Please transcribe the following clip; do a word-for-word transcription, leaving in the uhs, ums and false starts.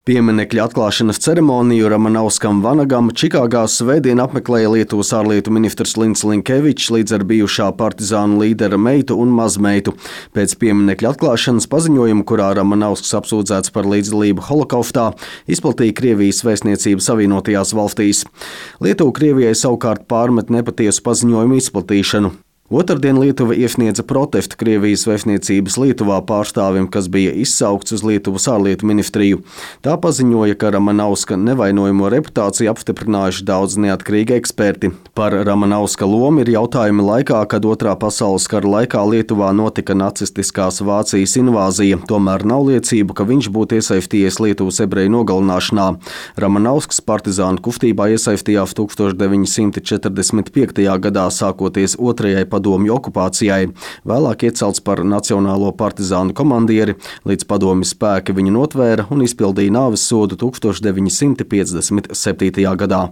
Pieminekļa atklāšanas ceremoniju Ramanauskam Vanagam Čikāgā svētdien apmeklēja Lietuvas ārlietu ministrs Linds Linkevičs līdz ar bijušā partizānu līdera meitu un mazmeitu. Pēc pieminekļa atklāšanas paziņojuma, kurā Ramanausks apsūdzēts par līdzdalību holokaustā, izplatīja Krievijas vēstniecība Savienotajās valstīs. Lietuva Krievijai savukārt pārmet nepatiesu paziņojumu izplatīšanu. Otrdien Lietuva iesniedza protestu Krievijas vēstniecības Lietuvā pārstāvim, kas bija izsaukts uz Lietuvas ārlietu ministriju. Tā paziņoja, ka Ramanauska nevainojamo reputāciju apstiprinājuši daudz neatkarīgi eksperti. Par Ramanauska lomu ir jautājumi laikā, kad Otrā pasaules kara laikā Lietuvā notika nacistiskās Vācijas invāzija, tomēr nav liecību, ka viņš būtu iesaistījies Lietuvas ebreju nogalināšanā. Ramanausks partizānu kustībā iesaistījās tūkstoš deviņi simti četrdesmit piektajā gadā, sākoties otrajai padomju okupācijai, vēlāk iecelts par nacionālo partizānu komandieri, līdz padomju spēki viņu notvēra un izpildīja nāves sodu tūkstoš deviņi simti piecdesmit septītajā gadā.